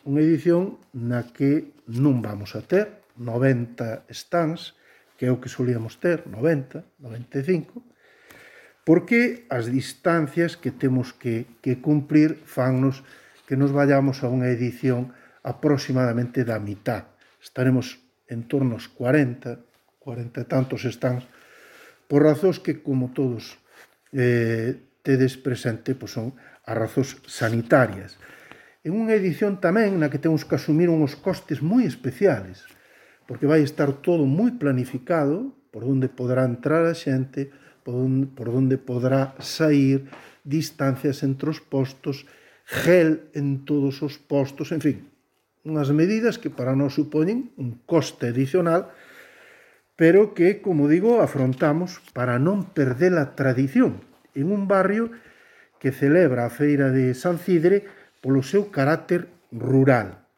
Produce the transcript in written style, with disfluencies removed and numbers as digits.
unha edición na que non vamos a ter 90 stands, que é o que solíamos ter, 90, 95, porque as distancias que temos que cumprir fannos que nos vayamos a unha edición aproximadamente da mitad. Estaremos en torno aos 40 e tantos stands, por razóns que, como todos tedes presente, son as razóns sanitarias. En unha edición tamén na que temos que asumir uns costes moi especiales, porque vai estar todo moi planificado, por onde poderá entrar a xente, por onde poderá sair, distancias entre os postos, gel en todos os postos, en fin, unhas medidas que para nós supoñen un coste adicional, pero que, como digo, afrontamos para non perder a tradición en un barrio que celebra a feira de San Cidre polo seu carácter rural.